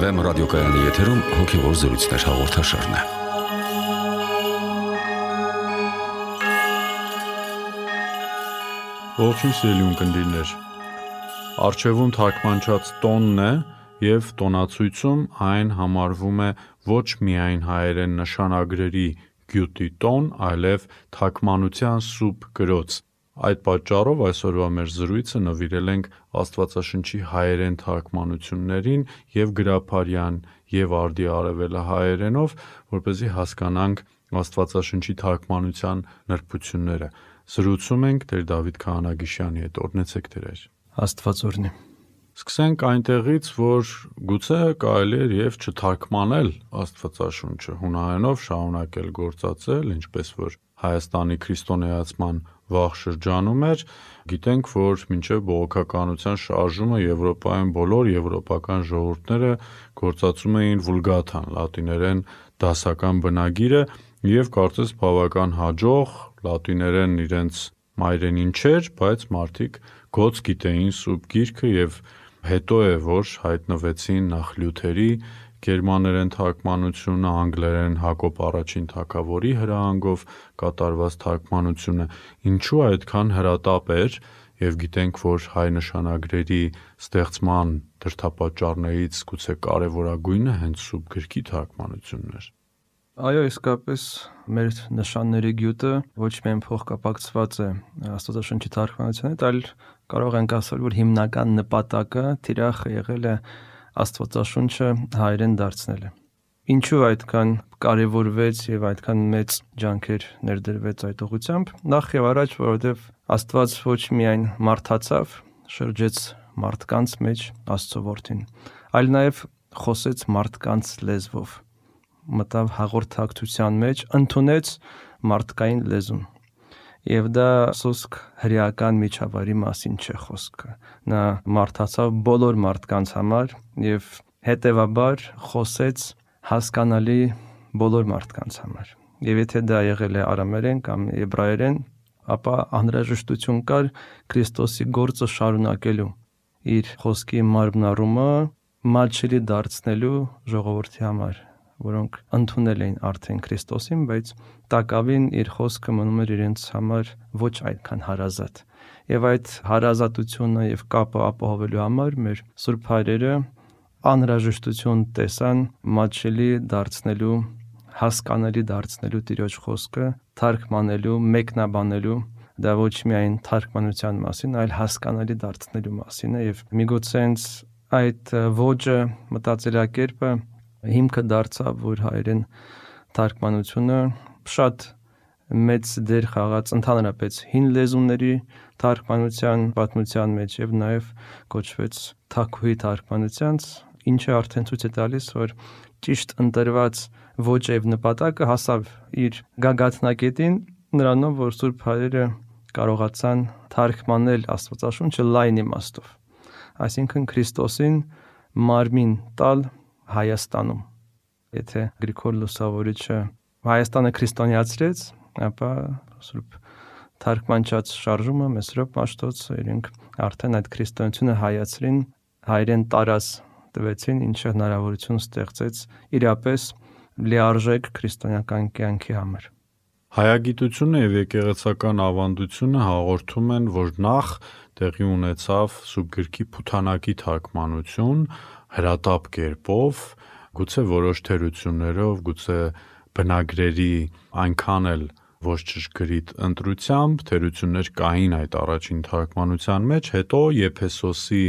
Վեմ ռադիոկայանի եթերում հոգևոր զրույցներ հաղորդաշարն է։ Ողջույն սիրելի ունկնդիրներ։ Առջևում թարգմանչած տոնն է և տոնացույցում այն համարվում է ոչ միայն հայերեն նշանագրերի գյուտի տոն, այլև թարգմանության սուրբ գրոց։ Այդ պատճառով այսօրվա մեր զրույցը նվիրել ենք Աստվածաշնչի հայերեն թարգմանություններին և գրաբարյան և արդի արևելահայերենով, որպեսզի հասկանանք Աստվածաշնչի թարգմանության նրբությունները։ Զրուցում ենք Տեր Դավիթ Քահանագիշյանի հետ, օրհնեցեք Տեր։ Աստված օրհնի։ Սկսենք այնտեղից, որ գուցե կարելի էր և չթարգմանել Աստվածաշունչը, հունահայերենով շարունակել գործածել, ինչպես որ Հայաստանի քրիստոնեացման վաղ շրջանում էր, գիտենք, որ մինչև բողոքականության շարժումը Եվրոպայում բոլոր եվրոպական ժողովուրդները գործածում էին վուլգաթան, լատիներեն դասական բնագիրը, և կարծես բավական հաջող, լատիներեն իրենց մայրենին չէր, բայց մարդիկ գոց գիտեին սուրբ գիրքը և հետո է, որ հայտնվեցին նախ Լյութերի գերմաներեն թարգմանությունը, անգլերեն Հակոբ առաջին թագավորի հրահանգով կատարված թարգմանությունը, ինչու այդքան հրատապ էր, և գիտենք, որ հայ նշանագրերի ստեղծման դրդապատճառներից գուցե կարևորագույնը հենց սուրբ գրքի թարգմանությունն էր։ Այո, իսկապես մեր նշանների գյուտը ոչ միայն փոխկապակցված է Աստվածաշնչի թարգմանության հետ, այլ կարող ենք ասել, որ հիմնական նպատակը թիրախ եղել է Աստվածաշունչը հայերեն դարձնելը։ Ինչու այդքան կարևորվեց և այդքան մեծ ջանքեր ներդրվեց այդ ուղղությամբ։ Նախ և առաջ, որովհետև Աստված ոչ միայն մարդացավ, շրջեց մարդկանց մեջ Աստծո որդին, այլ նաև խոսեց մարդկանց լեզվով, մտավ հաղորդակցության մեջ, ընդունեց մարդկային լեզուն։ Եվ դա սոսկ հրեական միջավայրի մասին չէ խոսքը։ Նա մարդացավ բոլոր մարդկանց համար և հետևաբար խոսեց հասկանալի բոլոր մարդկանց համար։ Եվ եթե դա եղել է արամերեն կամ եբրայերեն, ապա անհրաժեշտություն կար Քրիստոսի գործը շարունակելու, իր խոսքի մարմնառումը մատչելի դարձնելու ժողովրդի համար, որոնք ընդունել էին արդեն Քրիստոսին, բայց տակավին իր խոսքը մնում էր իրենց համար ոչ այդքան հարազատ։ Եվ այդ հարազատությունը և կապը ապահովելու համար մեր սուրբ հայրերը անհրաժեշտություն տեսան մատչելի դարձնելու, հասկանալի դարձնելու Տիրոջ խոսքը, թարգմանելու, մեկնաբանելու, դա ոչ միայն թարգմանության մասին, այլ հասկանալի դարձնելու մասին է, և միգուցե հենց այդ ոճը, մտածելակերպը հիմքը դարձավ, որ հայերեն թարգմանությունը շատ մեծ դեր խաղաց ընդհանրապես հին լեզուների թարգմանության պատմության մեջ և նաև կոչվեց Թագուհի թարգմանությանց, ինչը արդեն ցույց է տալիս, որ ճիշտ ընտրված ոճը և նպատակը հասավ իր գագաթնակետին նրանով, որ սուրբ հայրերը կարողացան թարգմանել Աստվածաշունչը լայն իմաստով, այսինքն Քրիստոսին մարմին տալ Հայաստանում։ Եթե Գրիգոր Լուսավորիչը Հայաստանը քրիստոնեացրեց, ապա սուրբ թարգմանչած շարժումը Մեսրոպ Մաշտոցը իրենք արդեն այդ քրիստոնեությունը հայացրին, հայերեն տարած տվեցին, ինչը հնարավորություն ստեղծեց իրապես լիարժեք քրիստոնեական կյանքի համար։ Հայագիտությունը և եկեղեցական ավանդությունը հաղորդում են, որ նախ տեղի ունեցավ սուրբ գրքի փութանակի թարգմանություն հրատապ կերպով, գուցե որոշ թերություններով, գուցե բնագրերի այնքան էլ ոչ ճշգրիտ ընտրությամբ, թերություններ կային այդ առաջին թարգմանության մեջ, հետո Եփեսոսի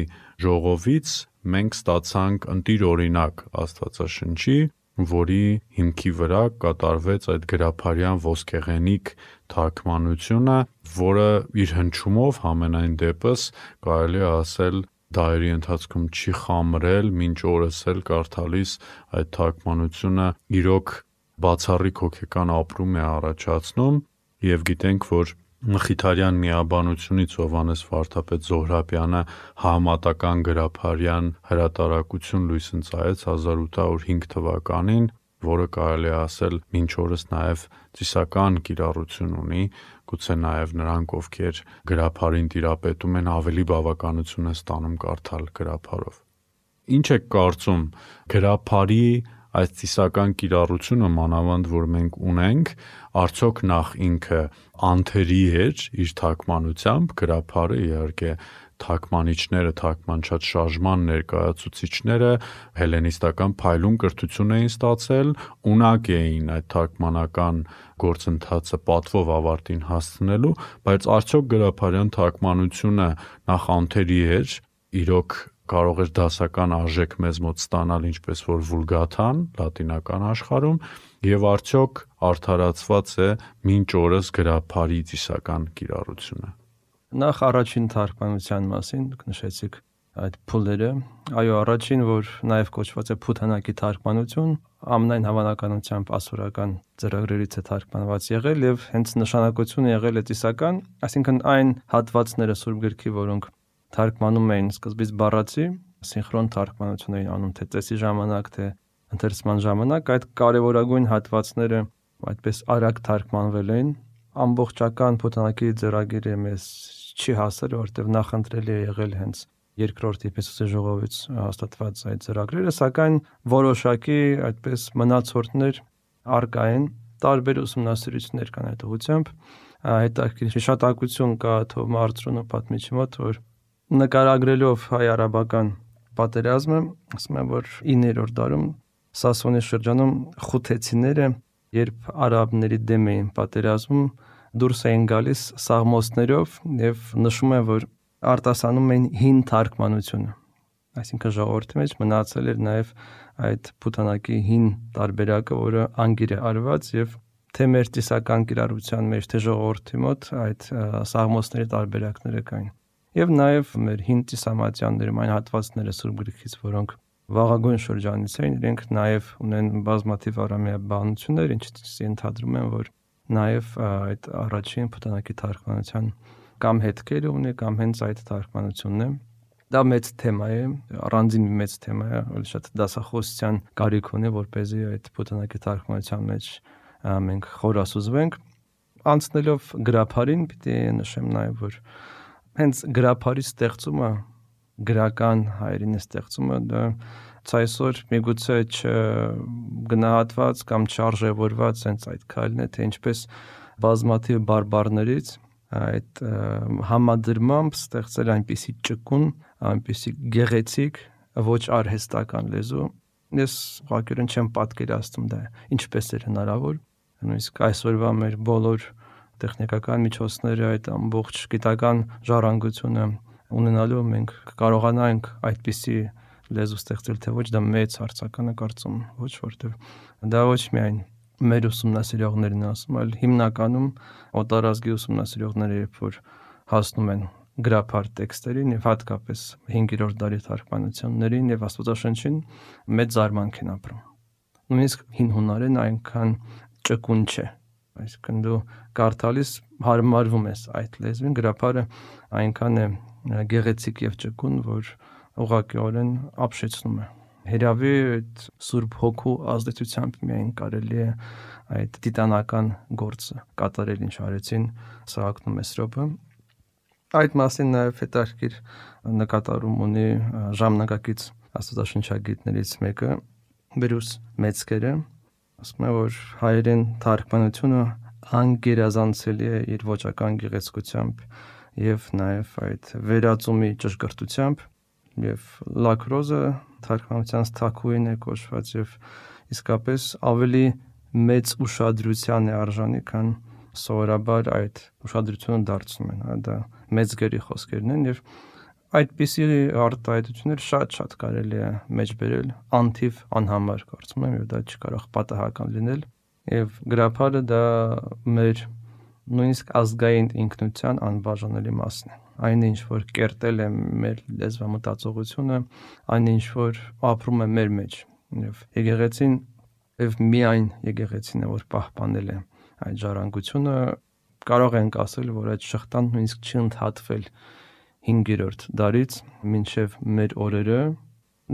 ժողովից մենք ստացանք ընտիր օրինակ Աստվածաշնչի, որի հիմքի վրա կատարվեց այդ գրաբարյան ոսկեղենիկ թարգմանությունը, որը իր հնչյունով համենայն դեպս կարելի է ասել դարերի ընթացքում չի խամրել, մինչ օրս էլ կարդալիս այդ թարգմանությունը իրոք բացառիկ հոգեկան ապրում է առաջացնում, և գիտենք, որ Մխիթարյան միաբանությունից Հովհաննես վարդապետ Զոհրաբյանը համատական գրաբարյան հրատարակություն լույս ընծայեց 1805 թվականին, որը կարելի է ասել մինչ օրս նաև ծիսական կիրառություն ունի, գուցե նաև նրանք, ովքեր գրաբարին տիրապետում են, ավելի բավականություն են ստանում կարդալ գրաբարով։ Ինչ եք կարծում գրաբարի այս ծիսական կիրառությունը մանավանդ որ մենք ունենք, արդյոք նախ ինքը անթերի էր իր թարգմանությամբ, գրաբարը իհարկե թարգմանիչները, թարգմանչած շարժման ներկայացուցիչները հելլենիստական փայլուն կրթություն էին ստացել, ունակ էին այդ թարգմանական գործընթացը պատվով ավարտին հասցնելու, բայց արդյոք գրաբարյան թարգմանությունը նախ անթերի էր, իրոք կարող էր դասական արժեք մեզ մոտ ստանալ ինչպես որ վուլգաթան լատինական աշխարհում եւ արդյոք արդարացված է մինչ օրս գրաբարի ծիսական կիրառությունը։ Նախ առաջին թարգմանության մասին նշեցիք այդ փուլերը, այո, առաջին, որ նաև կոչված է փութանակի թարգմանություն, ամենայն հավանականությամբ ասորական ծրագրերից է թարգմանված եղել եւ հենց նշանակությունը եղել է ծիսական, այսինքն այն հատվածները Սուրբ գրքի, որոնք թարգմանում էին սկզբից բառացի, սինխրոն թարգմանություն էին անում թե ծեսի ժամանակ, թե ընթերցման ժամանակ, այդ կարևորագույն հատվածները այդպես արագ թարգմանվել էին, ամբողջական փութանակի ծրագիրը մեզ չի հասել, որտեղ նախընտրելի է եղել հենց երկրորդ Եփեսոսի ժողովից հաստատված այդ ծրագրերը, սակայն որոշակի այդպես մնացորդներ առկա են, տարբեր ուսումնասիրություններ կան այդ ուղղությամբ, հետաքրքիր հիշատակություն կա Թովմա Արծրունու պատմիչի մոտ, որ նկարագրելով հայ-արաբական պատերազմը, ասում են, որ 9-րդ դարում Սասոնի շրջանում խութեցիները, երբ արաբների դեմ էին պատերազմում, դուրս էին գալիս սաղմոսներով եւ նշում է, որ արտասանում էին հին թարգմանությունը, այսինքն ժողովրդի մեջ մնացել էր նաեւ այդ փութանակի հին տարբերակը, որը անգիր է արված եւ թե մեր ծիսական կիրառության մեջ, թե ժողովրդի մոտ այդ սաղմոսների տարբերակները կային։ Եվ նաեւ մեր հին ծիսամատյաններում այն հատվածները Սուրբ գրքից, որոնք վաղագույն շրջանից էին, իրենք նաեւ ունեն բազմաթիվ արամեաբանություններ, ինչից ենթադրում են, որ նաեւ այդ առաջին փութանակի թարգմանության կամ հետքերը ունի, կամ հենց այդ թարգմանությունն է։ Դա մեծ թեմա է, առանձին մեծ թեմա է, որ շատ դասախոսության կարիք ունի, որպեսզի այդ փութանակի թարգմանության մեջ մենք խորասուզվենք։ Անցնելով գրաբարին, պիտի նշեմ նաեւ, որ հենց գրաբարի ստեղծումը, գրական հայերենի ստեղծումը, դա այսօր միգուցե չգնահատված կամ չարժևորված հենց այդ քայլն է, թե ինչպես բազմաթիվ բարբառներից այդ համադրմամբ ստեղծել այնպիսի ճկուն, այնպիսի գեղեցիկ, ոչ արհեստական լեզու։ Ես ուղղակիորեն չեմ պատկերացնում դա ինչպես էր հնարավոր, նույնիսկ այսօրվա մեր բոլոր տեխնիկական միջոցները այդ ամբողջ գիտական ժառանգությունը ունենալու մենք կարողանանք այդպիսի լեզու ստեղծել, թե ոչ դա մեծ հարցական է կարծում, ոչ որտեղ դա ոչ միայն մեր ուսումնասիրողներն ասում, այլ հիմնականում օտարազգի ուսումնասիրողները, երբ որ հասնում են գրաբար տեքստերին եւ հատկապես 5-րդ դարի թարգմանություններին եւ Աստվածաշնչին, մեծ զարմանք են ապրում։ Նույնիսկ հին հունարեն այնքան ճկուն չէ, այսինքն դու կարդալիս հարմարվում ես այդ լեզվին, գրաբարը այնքան է գեղեցիկ եւ ճկուն, որ ուղղակիորեն ապշեցնում է։ Հերավի այդ Սուրբ Հոգու ազդեցությամբ միայն կարելի է այդ տիտանական գործը կատարել, ինչ արեցին Սահակն ու Մեսրոպը։ Այդ մասին նաև հետաքրքիր նկատառում ունի ժամանակակից աստվածաշնչագետներից մեկը Բրյուս Մեծկերը, ասում է, որ հայերեն թարգմանությունը անգերազանցելի է իր ոճական գեղեցկությամբ եւ նաեւ այդ վերածումի ճշգրտությամբ, եւ Լակրոզը թարգմանության թագուհին է կոչված եւ իսկապես ավելի մեծ ուշադրության է արժանի, քան սովորաբար այդ ուշադրությունը դարձնում են, դա մեծ գերի խոսքերն են եւ այդպիսի արտահայտություններ շատ կարելի է մեջբերել անթիվ անհամար կարծում եմ, եւ դա չկարող պատահական լինել եւ գրաբարը դա մեր նույնիսկ ազգային ինքնության անբաժանելի մասն է։ Այն ինչ որ կերտել է մեր լեզվամտածողությունը, այն ինչ որ ապրում է մեր մեջ եւ եկեղեցին եւ միայն եկեղեցին է որ պահպանել է այդ ժառանգությունը, կարող ենք ասել, որ այդ շղթան նույնիսկ չի ընդհատվել 5-րդ դարից մինչև մեր օրերը,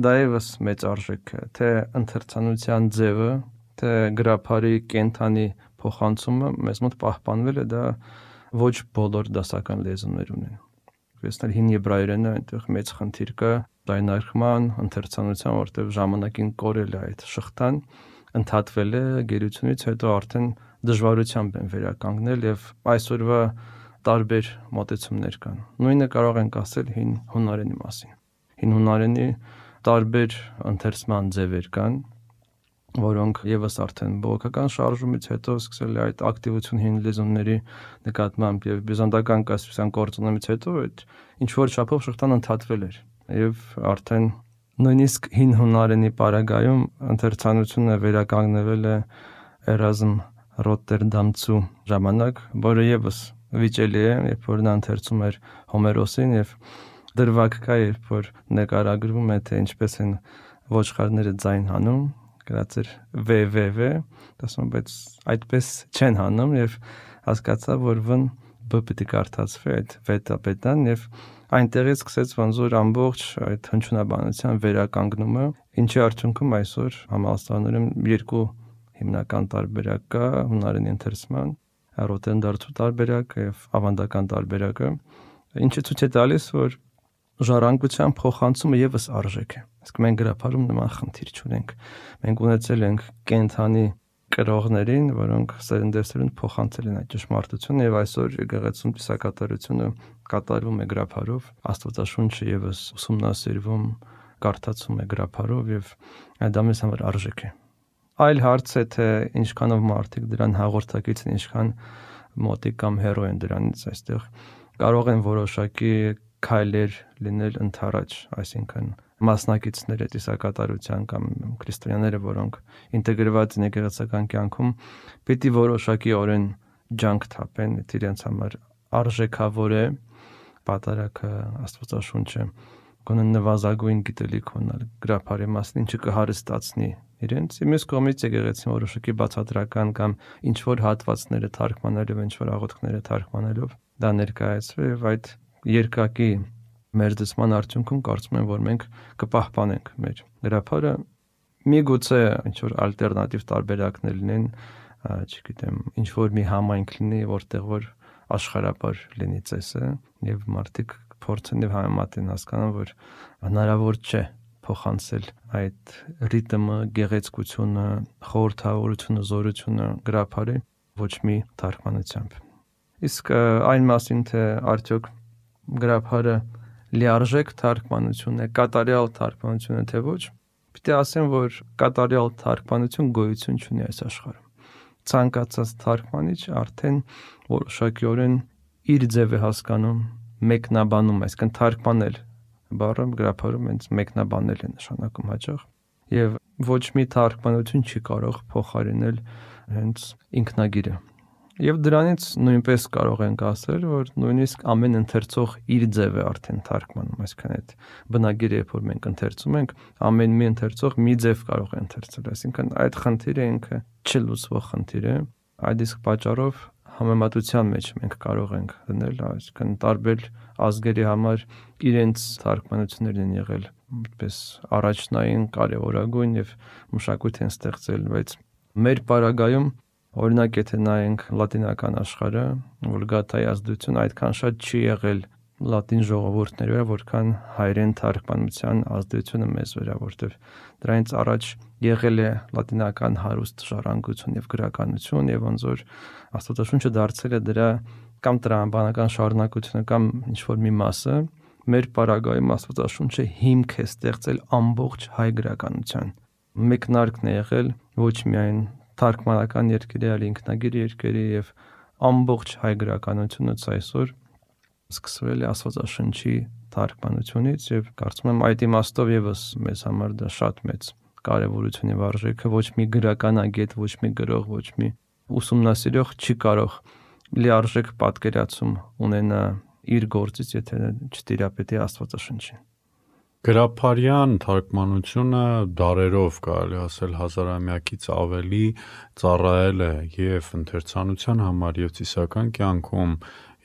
դա եւս մեծ արժեք է, թե ընթերցանության ձևը, թե գրաբարի կենթանի փոխանցումը մեզ մոտ պահպանվել է, դա ոչ բոլոր դասական լեզուներ ունեն։ Տեսնել հին եբրայերենը այնտեղ մեծ խնդիր կա, ձայնարկման, ընթերցանության, որտեղ ժամանակին կորել է այդ շղթան, ընդհատվել է գերությունից հետո արդեն դժվարությամբ են վերականգնել եւ այսօրվա տարբեր մոտեցումներ կան։ Նույնը կարող ենք ասել հին հունարենի մասին։ Հին հունարենի տարբեր ընթերցման ձևեր կան, որոնք եւս արդեն բողոքական շարժումից հետո սկսել է այդ ակտիվություն հին լեզուների նկատմամբ եւ բյուզանդական կասպիան կորցնումից հետո այդ ինչ որ չափով շղթան ընդհատվել էր եւ արդեն նույնիսկ հին հունարենի պարագայում ընթերցանությունը վերականգնվել է Էրազմ Ռոտերդամցու ժամանակ, որը եւս վիճելի է, երբ որ նա ընթերցում էր Հոմերոսին եւ դրվագ կա, երբ որ նկարագրվում է թե ինչպես են ոչխարները ձայն հանում, գրած էր վվվ, ասում բայց այդպես չեն հանում եւ հասկացա, որ վ պետք է կարդացվի այդ վետապետան եւ այնտեղից սկսեց ոնց որ ամբողջ այդ հնչյունաբանության վերականգնումը, ինչի արդյունքում այսօր համալսարաններում երկու հիմնական տարբերակ կա հունարենի ընթերցման, Ռոտերդամցու տարբերակը եւ ավանդական տարբերակը, ինչը ցույց է տալիս, որ ժառանգության փոխանցումը եւս արժեք է։ Իսկ մենք գրափարում նման խնդիր չունենք։ Մենք ունեցել ենք կենթանի կրողներին, որոնք սերնդեսերունդ փոխանցել են այդ ճշմարտությունը եւ այսօր եկեղեցում պիսակատարությունը կատարվում է գրափարով, Աստվածաշունչը եւս ուսումնասիրվում, կարդացում է գրափարով եւ դա մեզ համար արժեք է։ Այլ հարց է թե ինչքանով մարդիկ դրան հաղորդակից են, ինչքան մոտիկ կամ հերո են դրանից այստեղ կարող են որոշակի քայլեր լինել ընդառաջ, այսինքն մասնակիցները տիսակատարության կամ քրիստոնյաները, որոնք ինտեգրված են եկեղեցական կյանքում, պիտի որոշակիորեն ջանք թափեն, իրենց համար արժեքավոր է պատարագը, Աստվածաշունչը, գոնե նվազագույն գիտելիք ունենալ գրափարի մասին, ինչը կհարստացնի իրենց։ Մյուս կողմից եկեղեցին որոշակի բացատրական կամ ինչ որ հատվածները թարգմանելով, ինչ որ աղոթքները թարգմանելով դա ներկայացվի եւ այդ երկակի մեր դասման արդյունքում կարծում եմ, որ մենք կպահպանենք մեր գրափարը։ Միգուցե ինչ որ ալտերնատիվ տարբերակներ լինեն, չգիտեմ, ինչ որ մի համայնք լինի, որտեղ որ աշխարհապար լինի ծեսը եւ մարդիկ փորձեն եւ համեմատեն հասկանան, որ հնարավոր չէ փոխանցել այդ ռիթմը, գեղեցկությունը, խորհրդավորությունը, զորությունը գրափարի ոչ մի թարգմանությամբ։ Իսկ այն մասին թե արդյոք գրափարը լիարժեք թարգմանություն է, կատարյալ թարգմանություն է թե ոչ, պիտի ասեմ, որ կատարյալ թարգմանություն գոյություն չունի այս աշխարհում։ Ցանկացած թարգմանիչ արդեն որոշակիորեն իր ձև է հասկանում, մեկնաբանում, այսինքն թարգմանել բառը գրափարում հենց մեկնաբանել է նշանակում հաճախ եւ ոչ մի թարգմանություն չի կարող փոխարինել հենց ինքնագիրը։ Եվ դրանից նույնպես կարող ենք ասել, որ նույնիսկ ամեն ընթերցող իր ձև է արդեն թարգմանում, այսինքն այդ բնագիրը, երբ որ մենք ընթերցում ենք, ամեն մի ընթերցող մի ձև կարող է ընթերցել, այսինքն այդ խնդիրը ինքը չլուծվող խնդիր է։ Այդ իսկ պատճառով համեմատության մեջ մենք կարող ենք դնել, այսինքն տարբեր ազգերի համար իրենց թարգմանություններն են եղել այդպես առաջնային, կարևորագույն եւ մշակույթ են ստեղծել, բայց մեր պարագայում օրինակ եթե նայենք լատինական աշխարհը, Վուլգատայի ազդեցություն այդքան շատ չի եղել լատին ժողովուրդների վրա, որքան հայերեն թարգմանության ազդեցությունը մեզ վրա, որտեղ դրանից առաջ եղել է լատինական հարուստ ժառանգություն եւ գրականություն եւ ոնց որ Աստվածաշունչը դարձել է դրա կամ տրամաբանական շարունակությունը կամ ինչ որ մի մասը, մեր պարագայում Աստվածաշունչը հիմք է ստեղծել ամբողջ հայ գրականության։ Մեկնարկն է եղել ոչ միայն թարգմանական երկերի, այլ ինքնագիր երկերի եւ ամբողջ հայ գրականությունից այսօր սկսվել է Աստվածաշնչի թարգմանությունից եւ կարծում եմ այդ իմաստով եւս մեզ համար դա շատ մեծ կարեւորություն եւ արժեք է, ոչ մի գրականագետ, ոչ մի գրող, ոչ մի ուսումնասիրող չի կարող լիարժեք պատկերացում ունենա իր գործից, եթե չտիրապետի Աստվածաշնչին։ Գրափարյան թարգմանությունը դարերով կարելի ասել հազարամյակից ավելի ծառայել է եւ ընթերցանության համար եւ ծիսական կյանքում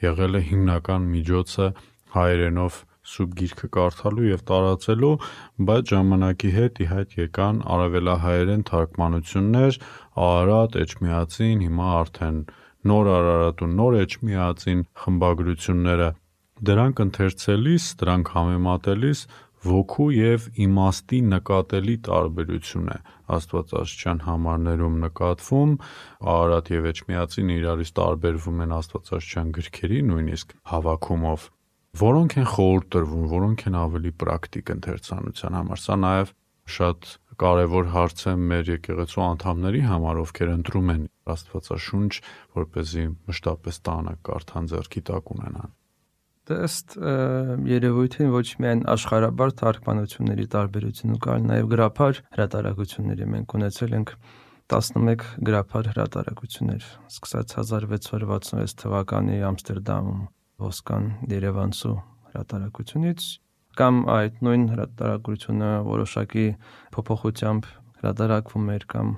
եղել է հիմնական միջոցը հայերենով սուրբ գիրքը կարդալու եւ տարածելու, բայց ժամանակի հետ ի հայտ եկան արևելահայերեն թարգմանություններ, Արարատ, Էջմիածին, հիմա արդեն նոր Արարատ ու նոր Էջմիածին խմբագրությունները։ Դրանք ընթերցելիս, դրանք համեմատելիս ոգու եւ իմաստի նկատելի տարբերություն է աստվածաշրջան համարներում նկատվում, Արարատ եւ Էջմիածին իրարից տարբերվում են աստվածաշրջան գրքերի նույնիսկ հավաքումով, որոնք են խորհուրդ տրվում, որոնք են ավելի պրակտիկ ընթերցանության համար։ Սա նաեւ շատ կարևոր հարց է մեր եկեղեցու անդամների համար, ովքեր ընտրում են Աստվածաշունչ, որպեսզի մշտապես տանը կարդան, ձեռքի տակ ունենան։ Ըստ երևույթին ոչ միայն աշխարհաբար թարգմանությունների տարբերություն կար, նաև գրափար հրատարակությունների մենք ունեցել ենք 11 գրափար հրատարակություններ, սկսած 1666 թվականի Ամստերդամում Ոսկան Երևանցու հրատարակությունից, կամ այդ նույն հրատարակությունը որոշակի փոփոխությամբ հրատարակվում էր, կամ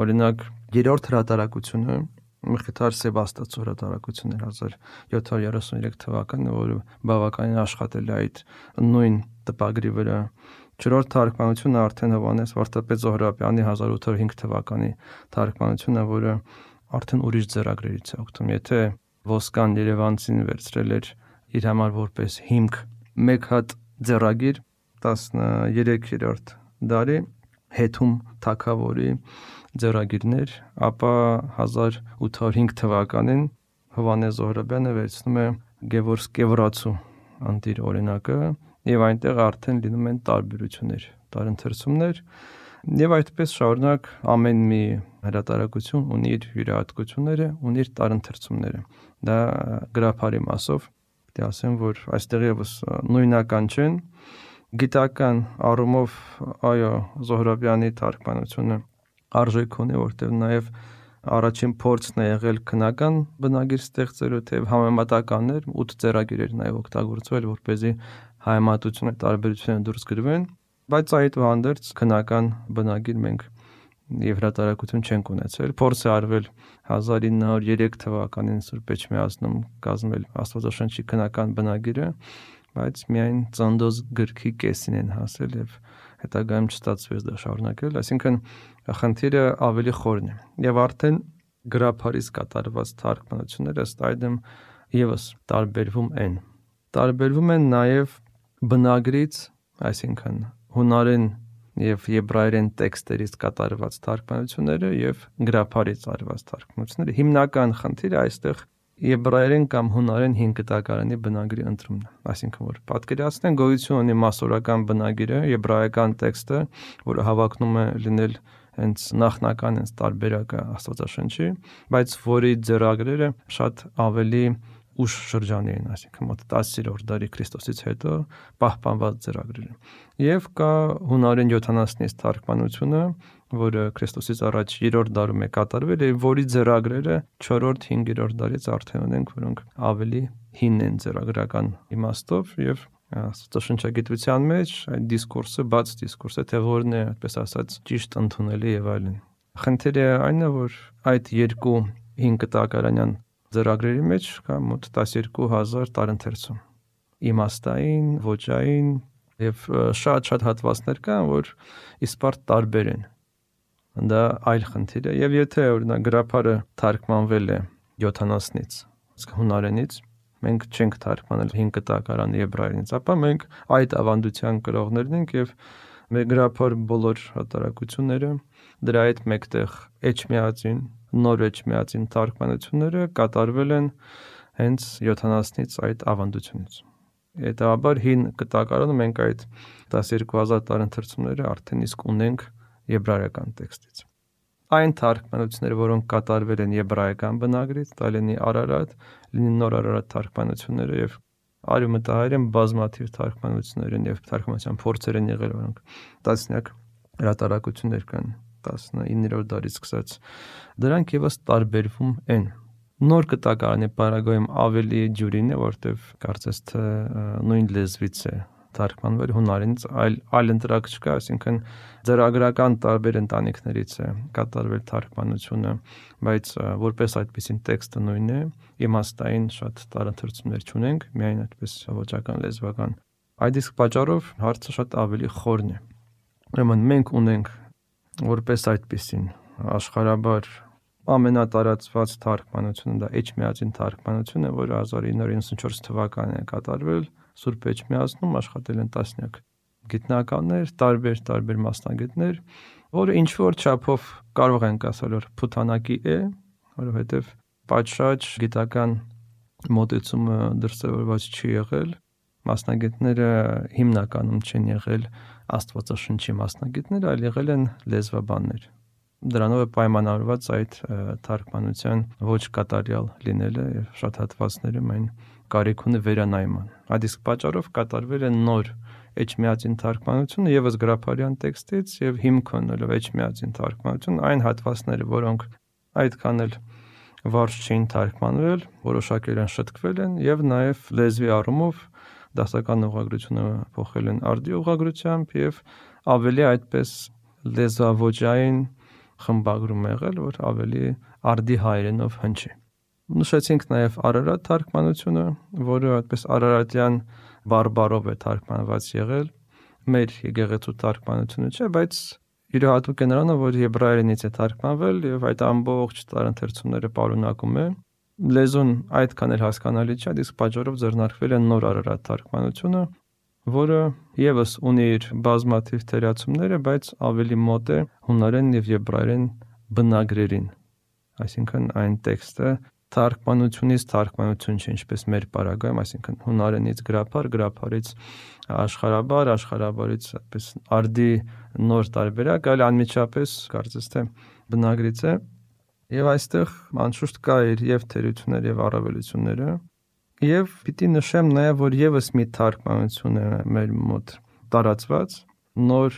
օրինակ երրորդ հրատարակությունը Մխիթար Սեբաստացու հրատարակությունն էր 1733 թվականին, որը բավականին աշխատել է այդ նույն տպագրի վրա։ Չորրորդ թարգմանությունը արդեն Հովհաննես վարդապետ Զոհրաբյանի 1805 թվականի թարգմանությունը, որը արդեն ուրիշ ձեռագրերից է օգտվում։ Եթե Ոսկան Երևանցին վերցրել էր իր համար որպես հիմք մեկ հատ ձեռագիր 13-րդ դարի Հետում թագավորի ձեռագիրներ, ապա 1805 թվականին Հովհաննես Զոհրաբյանը վերցնում է Գևորգ Կևրացու անտիր օրինակը եւ այնտեղ արդեն լինում են տարբերություններ, տարընթերցումներ եւ այդպես շարունակ ամեն մի հրատարակություն ունի իր յուրահատկությունները, ունի իր տարընթերցումները։ Դա գրափարի մասով պետք է ասեմ, որ այստեղ եւս նույնական չեն։ Գիտական առումով այո, Զոհրաբյանի թարգմանությունը արժեք ունի, որտեղ նաև առաջին փորձն է եղել քնական բնագիր ստեղծելու, թեև համեմատականներ 8 ձեռագիրեր նաև օգտագործվել, որպեսզի հայեմատությունը տարբերությունը դուրս գրվեն, բայց այդ հանդերձ քնական բնագիր մենք եւ հրատարակություն չենք ունեցել։ Փորձ է արվել 1903 թվականին Սուրբ Էջմիածնում կազմել Աստվածաշնչի քնական բնագիրը, բայց միայն Ծննդոց գրքի կեսին են հասել եւ հետագայում չստացվեց դա շարունակել, այսինքն խնդիրը ավելի խորն է։ Եվ արդեն գրափարից կատարված թարգմանությունները ըստ այդմ եւս տարբերվում են նաեւ բնագրից, այսինքն հունարեն եւ եբրայերեն տեքստերից կատարված թարգմանությունները եւ գրափարից արված թարգմանությունները։ Հիմնական խնդիրը այստեղ եբրայերեն կամ հունարեն 5 կտակարանի բնագրի ընտրումն է, այսինքն որ պատկերացնեն գոյություն ունի մասսորական բնագիրը, եբրայական տեքստը, որը հավակնում է լինել հենց նախնական, հենց տարբերակը Աստվածաշնչի, բայց որի ձեռագրերը շատ ավելի ուշ շրջանի են, այսինքն մոտ 10-րդ դարի Քրիստոսից հետո պահպանված ձեռագրերը։ Եվ կա հունարեն 70-ից թարգմանությունը, որը Քրիստոսից առաջ 3-րդ դարում է կատարվել, եւ որի ձեռագրերը 4-րդ, 5-րդ դարից արդեն ունենք, որոնք ավելի հին են ձեռագրական իմաստով, եւ Աստվածաշնչագիտության մեջ այդ դիսկուրսը, բաց դիսկուրսը, թե որն է, այդպես ասած, ճիշտ ընդունելի եւ այլն։ Խնդիրը այն է, որ այդ երկու 5 կտակարանյան ձեռագրերի մեջ կա մոտ 12000 տարընթերցում, իմաստային, ոճային եւ շատ հատվածներ կան, որ իսպարտ տարբեր են։ Դա այլ խնդիր է, եւ եթե օրինակ գրափարը թարգմանվել է 70-ից, իսկ հունարենից, մենք չենք թարգմանել 5 կտակարանի եբրայերենից, ապա մենք այդ ավանդության կրողներն ենք եւ մեր գրափար բոլոր հրատարակությունները դրա հետ մեկտեղ Էջմիածին, նոր Էջմիածին թարգմանությունները կատարվել են հենց 70-ից այդ ավանդությունից։ Հետաբար 5 կտակարանը մենք այդ 12000 տարընթերցումները արդեն իսկ ունենք եբրայական տեքստից։ Այն թարգմանությունները, որոնք կատարվել են եբրայական բնագրից, դա լինի Արարատ, լինի նոր Արարատ թարգմանությունները եւ արյունմտահայերեն բազմաթիվ թարգմանություններ են եւ թարգմանության փորձեր են եղել, որոնք տասնյակ հրատարակություններ կան 19-րդ դարից սկսած։ Դրանք եւս տարբերվում են։ Նոր կտակարանի պարագայում ավելի ջուրին է, որտեվ կարծես թե նույն լեզվից է թարգմանվել հունարենից, այլ ընտրակ չկա, այսինքն ձեռագրական տարբեր ընտանիքներից է կատարվել թարգմանությունը, բայց որպես այդպեսին տեքստը նույնն է, իմաստային շատ տարընթերցումներ չունենք, միայն այդպես ոճական, լեզվական։ Այդ իսկ պատճառով հարցը շատ ավելի խորն է։ Ուրեմն մենք ունենք որպես այդպեսին աշխարհաբար ամենատարածված թարգմանությունը դա Էջմիածին թարգմանությունը, որը 1994 թվականին է կատարվել Սուրբ Էջմիածնում, աշխատել են տասնյակ գիտնականներ, տարբեր մասնագետներ, որը ինչ որ չափով կարող ենք ասել, որ փութանակի է, որովհետև պատշաճ գիտական մոտեցումը դրսևորված չի եղել, մասնագետները հիմնականում չեն եղել Աստվածաշնչի մասնագետներ, այլ եղել են լեզվաբաններ։ Դրանով է պայմանավորված այդ թարգմանության ոչ կատարյալ լինելը եւ շատ հատվածները մեն կարիք ունի վերանայման։ Այդ իսկ պատճառով կատարվել է նոր Էջմիածին թարգմանությունը եւս գրաբարյան տեքստից եւ հիմք ունելով Էջմիածին թարգմանություն այն հատվածները, որոնք այդքան էլ վարժ չէին թարգմանվել, որոշակել են շտկվել են եւ նաեւ լեզվի առումով դասական ուղղագրությունը փոխել են արդի ուղղագրությամբ եւ ավելի այդպես լեզվաոճային խմբագրում եղել, որ ավելի արդի հայերենով հնչի։ Նշեցինք նաև Արարատ թարգմանությունը, որը այդպես արարատյան բարբարով է թարգմանված եղել, մեր եկեղեցու թարգմանությունը չէ, բայց յուրահատուկ է նրանով, որ եբրայերենից է թարգմանվել եւ այդ ամբողջ տարընթերցումները պարունակում է։ Լեզուն այդքան էլ հասկանալի չէ, իսկ պատճառով ձեռնարկվել է նոր Արարատ թարգմանությունը, որը եւս ունի իր բազմաթիվ թերացումները, բայց ավելի մոտ է հունարեն եւ եբրայերեն բնագրերին։ Այսինքն այն տեքստը թարգմանությունից թարգմանություն չէ, ինչպես մեր պարագայում, այսինքն հունարենից գրաբար, գրաբարից աշխարհաբար, աշխարհաբարից այդպես արդի նոր տարբերակ, այլ անմիջապես կարծես թե բնագրից է։ Եվ այստեղ անշուշտ կա իր եւ թերությունները եւ առավելությունները։ Եվ պիտի նշեմ նաև, որ եւս մի թարգմանություն է մեր մոտ տարածված, նոր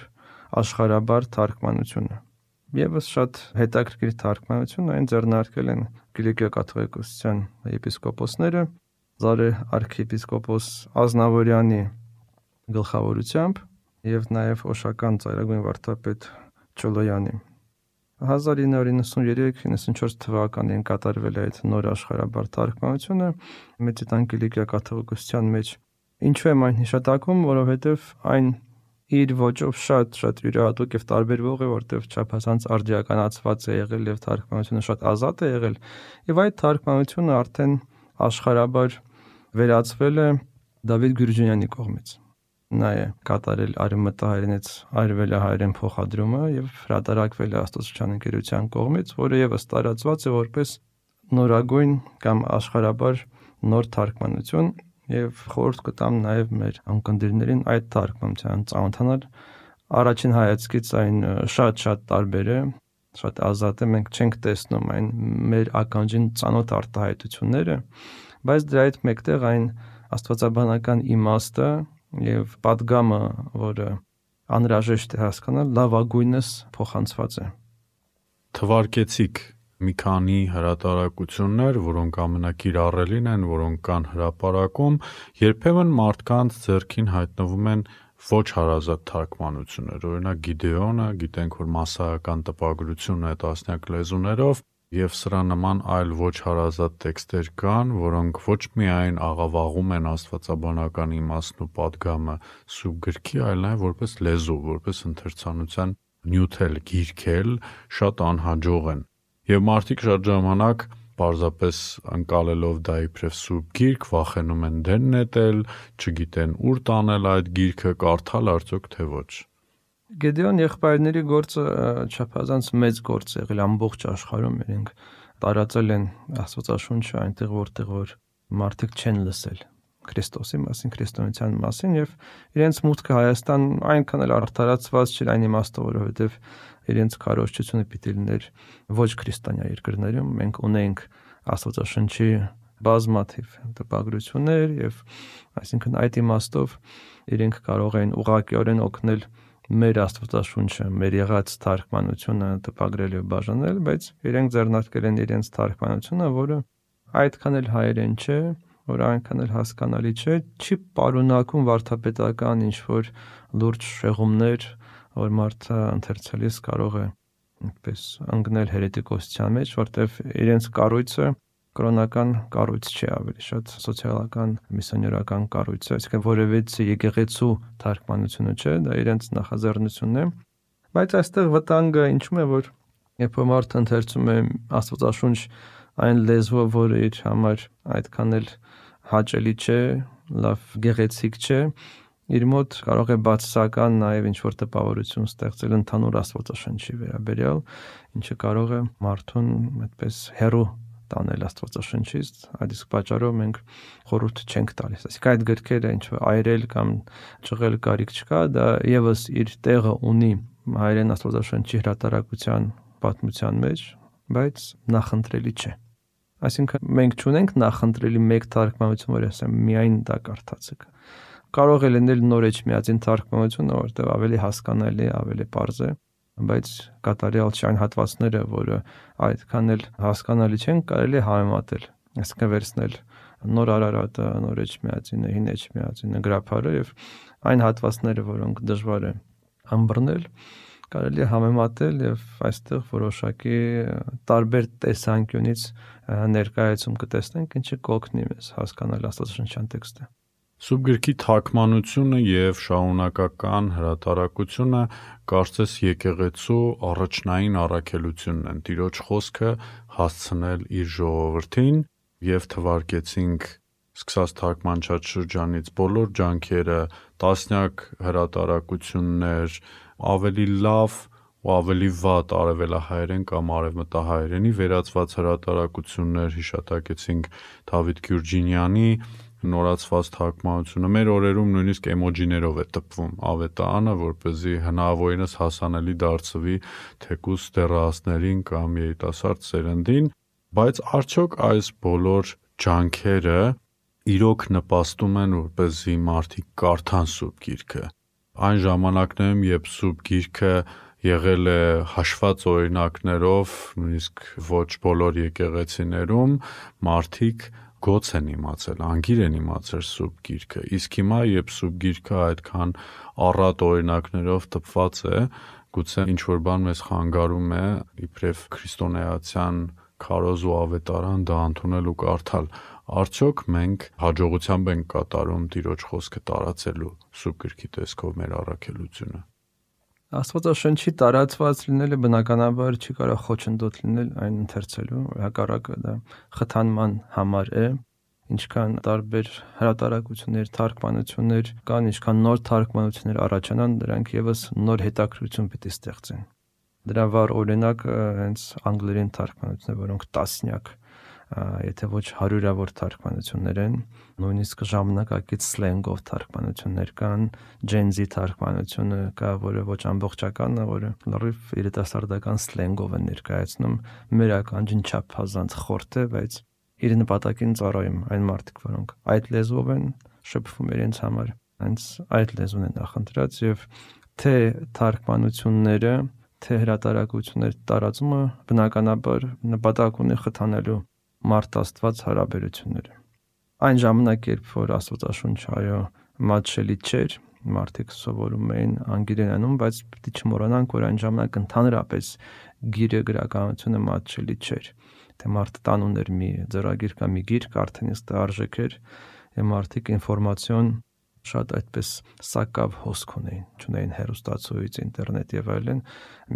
աշխարհաբար թարգմանությունը։ Եվս շատ հետաքրքիր թարգմանություն, այն ձեռնարկել են Կիլիկիա կաթողիկոսության եպիսկոպոսները, Զարե arczepiskopos Ազնավուրյանի գլխավորությամբ եւ նաև Օշական ծայրագույն վարդապետ Չոլոյանի։ 1993-94 թվականին կատարվել է այդ նոր աշխարհաբար թարգմանությունը Մեծիտան Կիլիկիա կաթողիկոսության մեջ։ Ինչու եմ այն հիշատակում, որովհետև այն իր ոճով շատ յուրահատուկ եւ տարբերվող է, որտեղ չափազանց արդիականացված է եղել եւ թարգմանությունը շատ ազատ է եղել, եւ այդ թարգմանությունը արդեն աշխարհաբար վերածվել է Դավիթ Գյուրջունյանի կողմից։ Նա է կատարել արևմտահայերենից արևելահայերեն փոխադրումը եւ հրատարակվել է Աստվածաշնչյան ընկերության կողմից, որը եւս տարածված է որպես նորագույն կամ աշխարհաբար նոր թարգմանություն եւ խորհուրդ կտամ նաեւ մեր անկնդիրներին այդ թարգմանության ծանոթանալ։ Առաջին հայացքից այն շատ տարբեր է, շատ ազատ է, մենք չենք տեսնում այն մեր ականջին ծանոթ արտահայտությունները, բայց դրա հետ մեկտեղ այն աստվածաբանական իմաստը եւ պատգամը, որը անհրաժեշտ է հասկանալ, լավագույնս փոխանցված է։ Թվարկեցիք մի քանի հրատարակություններ, որոնք ամենակիրառելին են, որոնք կան հրապարակում, երբեմն մարդկանց ձեռքին հայտնվում են ոչ հարազատ թարգմանություններ։ Օրինակ Գիդեոնը, գիտենք, որ մասսայական տպագրություն է տասնյակ լեզուներով, եւ սրա նման այլ ոչ հարազատ տեքստեր կան, որոնք ոչ միայն աղավաղում են աստվածաբանական իմաստն ու պատգամը սուրբ գրքի, այլ նաեւ որպես լեզու, որպես ընթերցանության նյութել, գիրքել շատ անհաջող են։ Եվ մարդիկ շատ ժամանակ պարզապես ընկալելով դա իբրև սուրբ գիրք, վախենում են դեն նետել, չգիտեն ուր տանել այդ գիրքը, կարդալ արդյոք թե ոչ։ Գեդեոն եղբայրների գործը չափազանց մեծ գործ է եղել ամբողջ աշխարհում, իրենք տարածել են Աստվածաշունչը այնտեղ, որտեղ որ մարդիկ չեն լսել Քրիստոսի մասին, քրիստոնեության մասին, եւ իրենց մուտքը Հայաստան այնքան էլ արդարացված չէր այն իմաստով, որովհետեւ իրենց քարոզչությունը պիտի լիներ ոչ քրիստոնյա երկրներում։ Մենք ունենք Աստվածաշնչի բազմաթիվ տպագրություններ եւ այսինքն այդ իմաստով իրենք կարող են ուղղակիորեն օգնել մեր Աստվածաշունչը, մեր եղած թարգմանությունը տպագրել եւ բաժանել, բայց իրենք ձեռնարկել են իրենց թարգմանությունը, որը այդքան էլ հայերեն չէ, որ այնքան էլ հասկանալի չէ, չի պարունակում վարդապետական ինչ-որ լուրջ շեղումներ, որ մարդը ընթերցելիս կարող է այդպես ընկնել հերետիկոսության մեջ, որտեղ իրենց կառույցը կրոնական կառույց չէ, ավելի շատ սոցիալական, միսիոներական կառույց է, այսինքն որևէ եկեղեցու թարգմանությունը չէ, դա իրենց նախաձեռնությունն է, բայց այստեղ վտանգը ինչու՞մ է, որ երբ մարդը ընթերցում է Աստվածաշունչ այն լեզվով, որը իր համար այդքան էլ հաճելի չէ, լավ գեղեցիկ չէ, իր մոտ կարող է բացասական նաև ինչ-որ տպավորություն ստեղծել ընդհանուր Աստվածաշնչի վերաբերյալ, ինչը կարող է մարդուն այդպես հեռու տանել Աստվածաշնչից, այդ իսկ պատճառով մենք խորհուրդ չենք տալիս։ Այսինքն այդ գրքերը ինչ-որ այրել կամ ճղել կարիք չկա, դա եւս իր տեղը ունի հայերեն Աստվածաշնչի հրատարակության պատմության մեջ, բայց նախընտրելի չէ։ Այսինքն մենք չունենք նախընտրելի մեկ թարգմանություն, որ ասեմ միայն դա կարդացեք։ Կարող է լինել նոր էջմիածին թարգմանությունը, որտեղ ավելի հասկանալի, ավելի պարզ է, բայց կատարյալ չէ այն հատվածները, որը այդքան էլ հասկանալի չեն, կարելի է համեմատել, այսինքն վերցնել նոր Արարատը, նոր էջմիածինը, հին էջմիածինը, գրափարը եւ այն հատվածները, որոնք դժվար է ըմբռնել, կարելի է համեմատել եւ այստեղ որոշակի տարբեր տեսանկյունից ներկայացում կտեսնենք, ինչը կօգնի մեզ հասկանալ Աստվածաշնչյան տեքստը։ Սուրբ գրքի թարգմանությունը եւ շարունակական հրատարակությունը կարծես եկեղեցու առաջնային առաքելությունն են Տիրոջ խոսքը հասցնել իր ժողովրդին եւ թվարկեցինք սկսած թարգմանչած շրջանից բոլոր ջանքերը, տասնյակ հրատարակություններ, ավելի լավ ու ավելի վատ արևելահայերեն կամ արևմտահայերենի վերածված հրատարակություններ, հիշատակեցինք Դավիթ Գյուրջինյանի նորացված թարգմանությունը, մեր օրերում նույնիսկ էմոջիներով է տպվում ավետարանը, որպեսզի հնարավորինս հասանելի դարձվի թեկուզ դեռահասներին կամ երիտասարդ սերնդին, բայց արդյոք այս բոլոր ջանքերը իրոք նպաստում են, որպեսզի մարդիկ կարդան Սուրբ Գիրքը։ Այն ժամանակներում, երբ Սուրբ Գիրքը եղել է հաշված օրինակներով, նույնիսկ ոչ բոլոր եկեղեցիներում, մարդիկ գոց են իմացել, անգիր են իմացել Սուրբ Գիրքը, իսկ հիմա, երբ Սուրբ Գիրքը այդքան առատ օրինակներով տպված է, գուցե ինչ-որ բան մեզ խանգարում է իբրև քրիստոնեացյան քարոզ ու ավետարան դա ընդունել ու կարդալ։ Արդյոք մենք հաջողությամբ ենք կատարում Տիրոջ խոսքը տարածելու Սուրբ Գրքի տեսքով մեր առաքելությունը։ Աստվածաշնչի տարածված լինելը բնականաբար չի կարող խոչընդոտ լինել այն ընթերցելու, հակառակը դա խթանման համար է, ինչքան տարբեր հրատարակություններ, թարգմանություններ կան, ինչքան նոր թարգմանություններ առաջանան, դրանք եւս նոր հետաքրքրություն պիտի ստեղծեն։ Դրա վառ օրինակը հենց անգլերեն թարգմանությունները, որոնք տասնյակ, եթե ոչ հարյուրավոր թարգմանություններ են, նույնիսկ ժամանակակից սլենգով թարգմանություններ կան, Gen Z թարգմանությունը կա, որը ոչ ամբողջական է, որը լրիվ երիտասարդական սլենգով է ներկայացնում, մեր ականջին չափազանց խորտ է, բայց իր նպատակին ծառայում այն մարդիկ, որոնք այդ լեզվով են շփվում իրենց համար, հենց այդ լեզուն են նախընտրած եւ թե թարգմանությունները, թե հրատարակությունների տարածումը բնականաբար նպատակ ունի խթանելու մարդ-Աստված հարաբերությունները։ Այն ժամանակ, երբ որ Աստվածաշունչը այո մատչելի չէր, մարդիկ սովորում էին անգիրենում, բայց պիտի չմոռանանք, որ այն ժամանակ ընդհանրապես գիրը գրականությունը մատչելի չէր։ Թե մարդը տանում էր մի ձեռագիր կամ մի գիրք, արդեն իսկ դա արժեք էր, եւ մարդիկ ինֆորմացիոն շատ այդպես սակավ հոսք ունեին հեռուստացույց, ինտերնետ եւ այլն,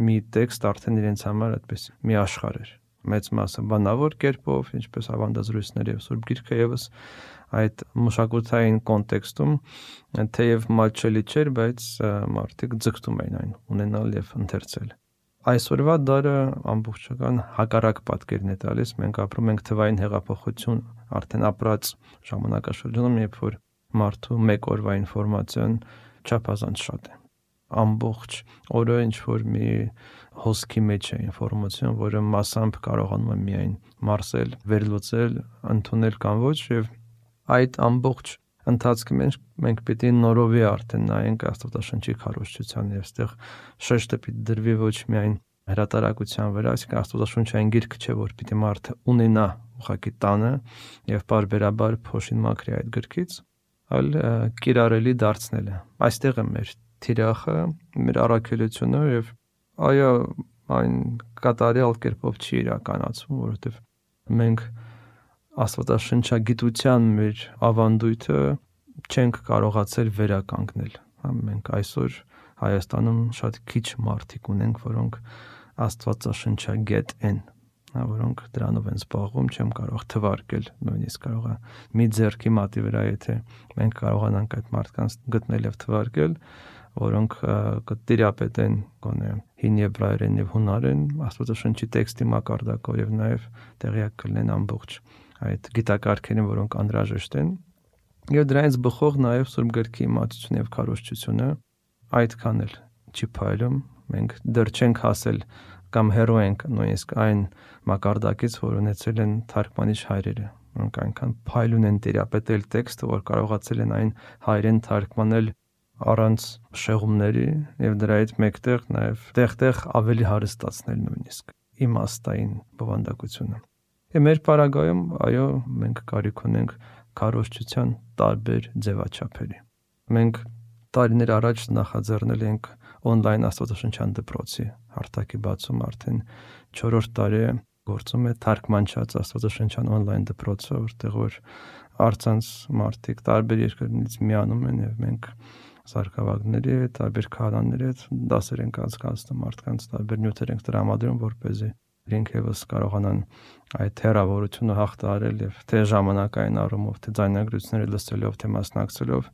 մի տեքստ արդեն իրենց համար այդպես մի աշխարհ էր։ Մեծ մասը բանավոր կերպով, ինչպես ավանդազրույցներ եւ Սուրբ Գիրքը եւս այդ մշակութային կոնտեքստում թեև մատչելի չէր, բայց մարդիկ ձգտում էին այն ունենալ եւ ընթերցել։ Այսօրվա դարը ամբողջական հակառակ պատկերն է տալիս, մենք ապրում ենք թվային հեղափոխություն արդեն ապրած ժամանակաշրջանում, երբ որ մարդու մեկ օրվա ինֆորմացիան չափազանց շատ է։ Ամբողջ օրը ինչ որ մի հոսքի մեջ է ինֆորմացիան, որը մասամբ կարողանում է միայն մարսել, վերլուծել, ընդունել կամ ոչ, եւ այդ ամբողջ ընթացքի մենք պիտի նորովի արդեն նայենք Աստվածաշնչի քարոզչության եւ այստեղ շեշտը պիտի դրվի ոչ միայն հրատարակության վրա, այսինքն Աստվածաշունչային գիրքը չէ, որ պիտի մարդը ունենա ուղղակի տանը եւ բարբերաբար փոշին մաքրի այդ գրքից, այլ կիրառելի դարձնելը։ Այստեղ է մեր թիրախը, մեր առաքելությունը եւ այո, այն կատարյալ կերպով չի իրականացվում, որովհետեւ մենք Աստվածաշնչագիտության մեր ավանդույթը չենք կարողացել վերականգնել։ Մենք այսօր Հայաստանում շատ քիչ մարդիկ ունենք, որոնք Աստվածաշնչագետ են։ որոնք դրանով են զբաղվում, չեմ կարող թվարկել, նույնիսկ կարող է մի ձեռքի մատի վրա, եթե մենք կարողանանք այդ մարդկանց գտնել եւ թվարկել, որոնք կտիրապետեն գոնե հին եբրայերեն եւ հունարեն, Աստվածաշնչի տեքստի մակարդակով եւ նաեւ տեղյակ կլինեն ամբողջ այդ գիտակարգերին, որոնք անհրաժեշտ են։ Եվ դրանից բխող նաեւ Սուրբ Գրքի իմացությունը եւ քարոզչությունը այդքան էլ չի փայլում, մենք դեռ չենք հասել կամ հեռու ենք նույնիսկ այն մակարդակից, որ ունեցել են թարգմանիչ հայրերը, որոնք այնքան փայլուն են տիրապետել տեքստը, որ կարողացել են այն հայերեն թարգմանել առանց շեղումների եւ դրայից մեկտեղ նաեւ տեղ-տեղ ավելի հարստացնել նույնիսկ իմաստային բովանդակությունը։ Եվ մեր պարագայում, այո, մենք կարիք ունենք քարոզչության տարբեր ձևաչափերի։ Մենք տարիներ առաջ նախաձեռնել ենք on-line աստվածաշնչյան դպրոցի հարթակի բացում, արդեն 4-րդ տարի գործում է թարգմանչած աստվածաշնչյան on-line դպրոցը, որտեղ որ առցանց մարդիկ տարբեր երկրներից միանում են եւ մենք սարքավազքների հետ, տարբեր քահանաների հետ դասեր ենք անցկացնում, մարդկանց տարբեր նյութեր ենք տրամադրում, որպեսզի իրենք եւս կարողանան այդ հեռավորությունը հաղթահարել եւ թե ժամանակային առումով, թե ձայնագրությունները լսելով, թե մասնակցելով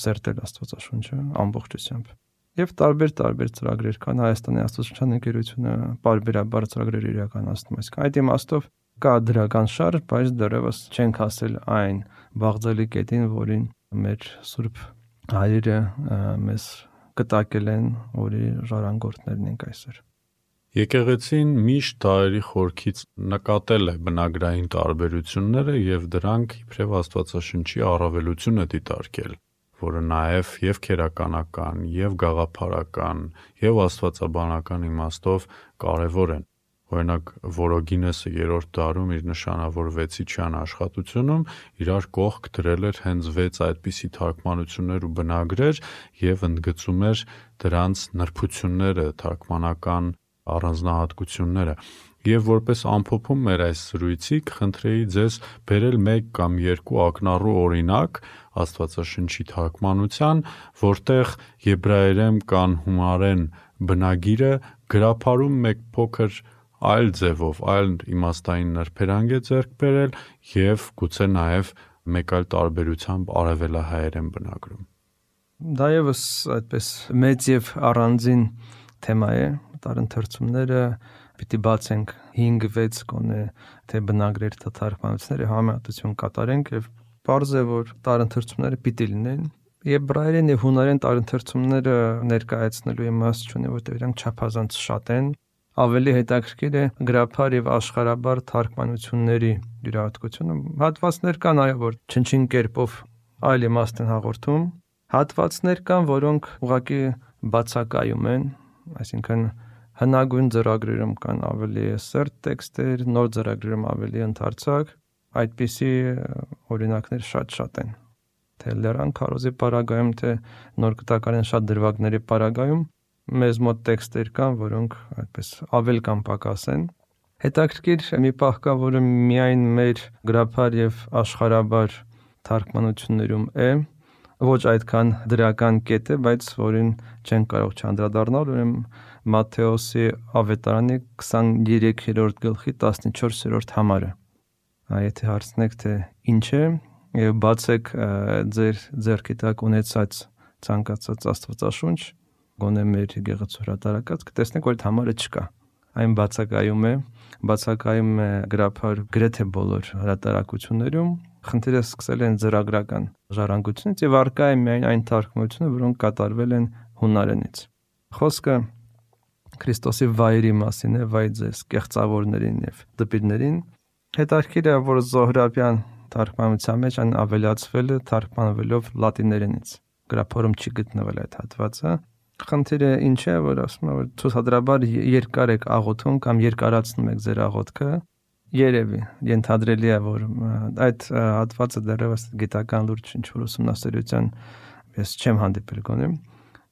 սերտել Աստվածաշունչը ամբողջությամբ։ Եվ տարբեր ծրագրեր կան, Հայաստանի Աստվածաշնչյան ընկերությունը բարբերաբար ծրագրեր իրականացնում է։ Այդ իմաստով կա դրական շարժ, բայց դեռևս չենք հասել այն բաղձալի կետին, որին մեր Սուրբ հայրերը մեզ կտակել են, որի ժառանգորդներն ենք այսօր։ Եկեղեցին միշտ դարերի խորքից նկատել է բնագրային տարբերությունները եւ դրանք իբրև Աստվածաշնչի առավելություն է դիտարկել, որը նաեւ եւ քերականական, եւ գաղափարական, եւ աստվածաբանական իմաստով կարեւոր են։ Օրինակ, Որոգինեսը 3-րդ դարում իր նշանավոր վեցիչյան աշխատությունում իրար կողք դրել էր հենց 6 այդպիսի թարգմանություններ ու բնագրեր եւ ընդգծում էր դրանց նրբությունները, թարգմանական առանձնահատկությունները։ Եվ որպես ամփոփում մեր այս զրույցի կխնդրեի ձեզ բերել 1 կամ 2 ակնառու օրինակ Աստվածաշնչի թարգմանության, որտեղ եբրայերեն կամ հունարեն բնագիրը գրափարում մեկ փոքր այլ ձևով, այլ իմաստային նրբերանգ է ձեռք բերել եւ գուցե նաեւ մեկ այլ տարբերությամբ արևելահայերեն բնագրում։ Դա եւս այդպես մեծ եւ առանձին թեմա է, տարընթերցումները պիտի բացենք 5-6 կոնե թե բնագրեր, թե թարգմանությունները համեմատություն կատարենք եւ պարզ է, որ տարընթերցումները պիտի լինեն։ Եբրայերեն եւ հունարեն տարընթերցումները ներկայացնելու իմաստ չունի, որտեղ իրանք չափազանց շատ են։ Ավելի հետաքրքիր է գրաբար եւ աշխարհաբար թարգմանությունների յուրահատկությունը։ Հատվածներ կան, այո, որ չնչին կերպով այլ իմաստ են հաղորդում։ Հատվածներ կան, որոնք ուղղակի բացակայում են, այսինքն հնագույն ծրագրերում կան ավելի սերտ տեքստեր, նոր ծրագրերում ավելի ընդարձակ, այդպիսի օրինակներ շատ են։ Թե Լեռան քարոզի պարագայում, թե նոր կտակարան շատ դրվագների պարագայում մեզ մոտ տեքստեր կան, որոնք այդպես ավել կամ պակաս են։ Հետաքրքիր մի պահ կա, որը միայն մեր գրաբար եւ աշխարհաբար թարգմանություններում է, ոչ այդքան դրական կետ է, բայց որին չեն կարող չանդրադառնալ, ուրեմն Մատթեոսի ավետարանի 23-րդ գլխի 14-րդ համարը։ Եթե հարցնեք, թե ինչ է, եւ բացեք ձեր ձեռքի տակ ունեցած ցանկացած Աստվածաշունչ, գոնե մեր եկեղեցու հրատարակած, կտեսնեք, որ այդ համարը չկա։ Այն բացակայում է գրաբար գրեթե բոլոր հրատարակություններում։ Խնդիրը սկսել են ծրագրական ժառանգությունից եւ առկա է միայն այն թարգմանությունը, որոնք կատարվել են հունարենից։ Խոսքը Քրիստոսի վայրի մասին է, վայ ձեզ կեղծավորներին եւ դպիրներին։ Հետաքրքիր է, որ Զոհրաբյան թարգմանության մեջ այն ավելացվել է թարգմանվելով լատիներենից։ Գրաբարում չի գտնվել այդ հատվածը։ Խնդիրը ինչ է, որ ասում է, որ ցուցադրաբար երկար եք աղոթում կամ երկարացնում եք ձեր աղոթքը, երևի ենթադրելի է, որ այդ հատվածը դեռևս գիտական լուրջ ինչ-որ ուսումնասիրության ես չեմ հանդիպել գոնե,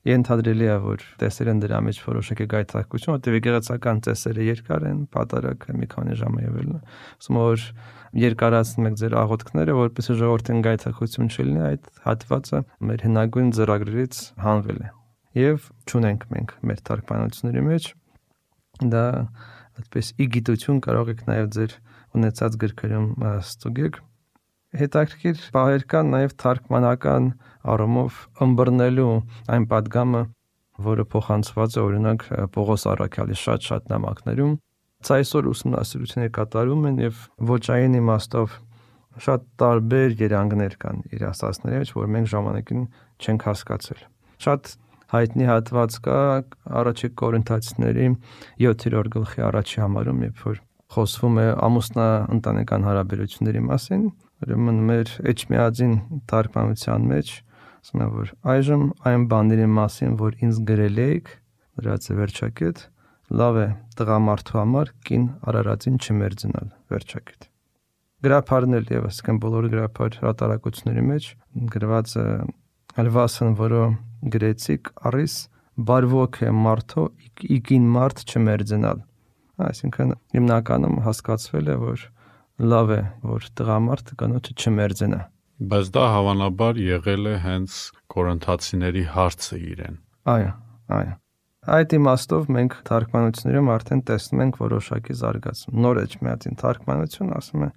ենթադրելի է, որ տեսել են դրա մեջ որոշակի գայթակղություն, որտեղ եկեղեցական ծեսերը երկար են, պատարակը մի քանի ժամ է եղել, ասում որ երկարացնում եք ձեր աղոթքները, որպեսզի ժողովրդին գայթակղություն չլինի, այդ հատվածը մեր հնագույն ծրագրերից հանվել է։ Եվ չունենք մենք մեր թարգմանությունների մեջ, դա այդպես իգիտություն կարող եք նաև ձեր ունեցած գրքերում ստուգեք։ Հետաքրքիր բաներ կան նաև թարգմանական առումով ըմբռնելու այն պատգամը, որը փոխանցված է օրինակ Պողոս առաքյալի շատ նամակներում։ Այսօր ուսումնասիրություններ կատարում են եւ ոճային իմաստով շատ տարբեր երանգներ կան իր ասածների մեջ, որ մենք ժամանակին չենք հասկացել։ Շատ հայտնի հատված կա առաջի Կորինթացիների 7-րդ գլխի առաջի համարում, երբ որ խոսվում է ամուսնա-ընտանեկան հարաբերությունների մասին, ուրեմն մեր Էջմիածին թարգմանության մեջ ասում է, որ այժմ այն բաների մասին, որ ինձ գրել եք, դրած է վերջակետ, լավ է տղամարդու համար կին արարածին չմերձենալ, վերջակետ։ Գրափարն էլ եւս կան բոլոր գրափար հրատարակությունների մեջ գրված է «Ալվասն, որը գրեցիք առիս բարվոք է մարդո իկին մարդ չմերձենալ»։ Այսինքն հիմնականում հասկացվել է, որ լավ է, որ տղամարդը կանոջը չմերձենա։ Բայց դա հավանաբար եղել է հենց Կորինթացիների հարցը իրեն։ Այո։ Այդ իմաստով մենք թարգմանություններում արդեն տեսնում ենք որոշակի զարգացում։ Նոր Էջմիածին թարգմանություն ասում է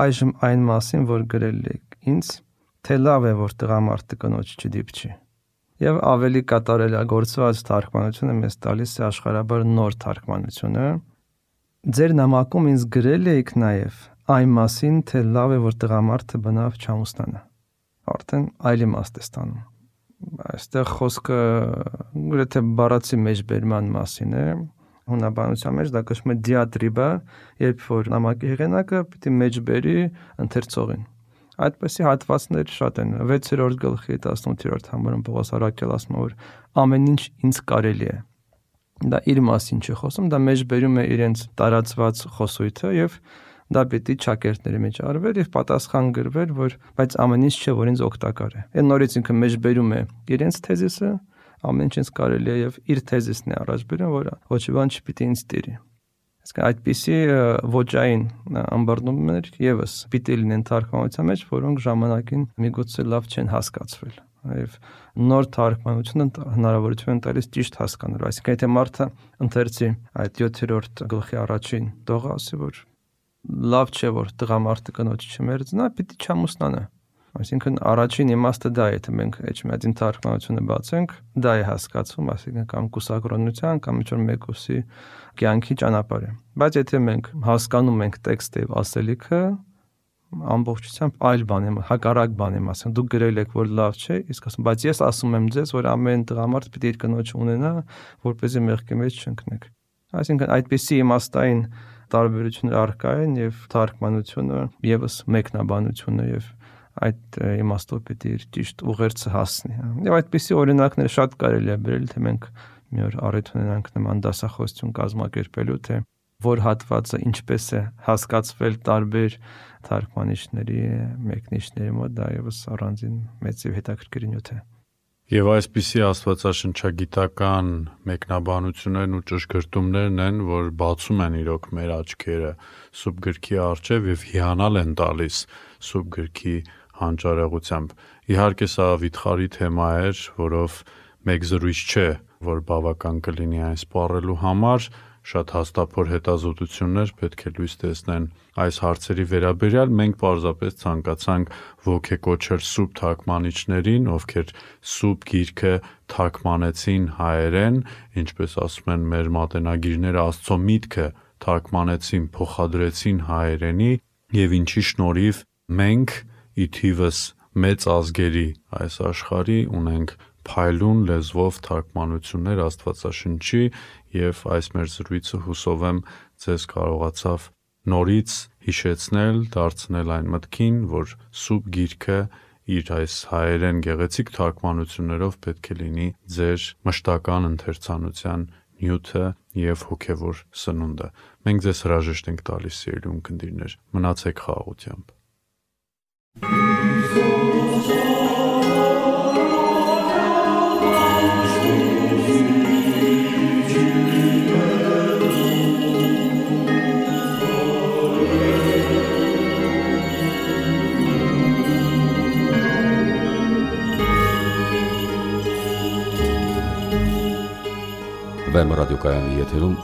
այժմ այն մասին, որ գրել եք ինձ, թե լավ է, որ տղամարդը կնոջ չդիպչի։ Եվ ավելի կատարելագործված թարգմանությունը մեզ տալիս է աշխարհաբար նոր թարգմանությունը։ Ձեր նամակում ինձ գրել եք նաև այն մասին, թե լավ է, որ տղամարդը բնավ չամուսնանա։ Արդեն այլ իմաստ է ստանում։ Այստեղ խոսքը գրեթե բառացի մեջբերման մասին է։ Հունաբանության մեջ դա կոչվում է դիատրիբա, երբ որ նամակի հեղինակը պիտի մեջբերի ընթերցողին։ Այդպիսի հատվածներ շատ են։ 6-րդ գլխի 18-րդ համարում Պողոս առաքյալը ասում է, որ ամեն ինչ ինձ կարելի է։ Դա իր մասին չի խոսում, դա մեջբերում է իրենց տարածված խոսույթը եւ դա պիտի ճակերտների մեջ արվեր եւ պատասխան գրվեր, որ բայց ամեն ինչ չէ, որ ինձ օգտակար է։ Այն նորից ինքը մեջբերում է իրենց թեզիսը, ամեն ինչ ինձ կարելի է եւ իր թեզիսն է առաջ բերում, որ ոչ մի բան չպիտի ինձ տիրի։ Իսկ այդպիսի ոճային ըմբռնումներ եւս պիտի լինեն թարգմանության մեջ, որոնք ժամանակին միգուցե լավ չեն հասկացվել։ Եվ նոր թարգմանությունը հնարավորություն են տալիս ճիշտ հասկանալու։ Այսինքն եթե մարդը ընթերցի այդ 7-րդ գլխի առաջին տողը, ասի, որ լավ չէ, որ տղամարդը կնոջ չմերձնա, պիտի չամուսնանա։ Այսինքն առաջին իմաստը դա է, եթե մենք Էջմիածին թարգմանությունը բացենք, դա է հասկացվում, այսինքն կամ կուսակրոնության, կամ ինչ-որ մեկուսի կյանքի ճանապարհ է։ Բայց եթե մենք հասկանում ենք տեքստը եւ ասելիքը, ամբողջությամբ այլ բան եմ, հակառակ բան եմ ասում։ Դուք գրել եք, որ լավ չէ, իսկ ասում, բայց ես ասում եմ ձեզ, որ ամեն տղամարդ պիտի իր կնոջ ունենա, որպեսզի մեղքի մեջ չընկնեք։ Այսինքն այդպիսի իմաստային տարբերություններ առկա են եւ թարգմանությունը եւս մեկնաբանությունը եւ այդ իմաստով պիտի իր ճիշտ ուղերձը հասնի։ Եվ այդպիսի օրինակներ շատ կարելի է բերել, թե մենք մի օր առիթ ունենանք նման դասախոսություն կազմակերպելու, թե որ հատվածը ինչպես է հասկացվել տարբեր թարգմանիչների, մեկնիչների մոտ, դա եւս առանձին մեծ եւ հետաքրքիր նյութ է։ Եվ այսպիսի աստվածաշնչագիտական մեկնաբանություններն ու ճշգրտումներն են, որ բացում են իրոք մեր աչքերը սուրբ գրքի առջև եւ հիանալ են տալիս սուրբ գրքի հանճարեղությամբ։ Իհարկե սա վիթխարի թեմա էր, որով մեկ զրույց չէ, որ բավական կլինի այն սպառելու համար, շատ հաստափոր հետազոտություններ պետք է լույս տեսնեն այս հարցերի վերաբերյալ։ Մենք պարզապես ցանկացանք ոգեկոչել սուրբ թարգմանիչներին, ովքեր սուրբ գիրքը թարգմանեցին հայերեն, ինչպես ասում են մեր մատենագիրները, Աստծո միտքը թարգմանեցին, փոխադրեցին հայերենի, եւ ինչի շնորհիվ մենք ի թիվս մեծ ազգերի այս աշխարհի ունենք փայլուն լեզվով թարգմանություններ Աստվածաշնչի, եւ այս մեր զրույցը հուսով եմ ձեզ կարողացավ նորից հիշեցնել, դարձնել այն մտքին, որ սուրբ գիրքը իր այս հայերեն գեղեցիկ թարգմանություններով պետք է լինի ձեր մշտական ընթերցանության նյութը եւ հոգեվոր սնունդը։ Մենք ձեզ հրաժեշտ ենք տալիս, սիրելի ունկնդիրներ, մնացեք խաղաղությամբ։ Վեմ ռադիոկայանի եթերում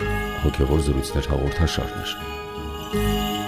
հոգևոր զրույցներ հաղորդաշարներ։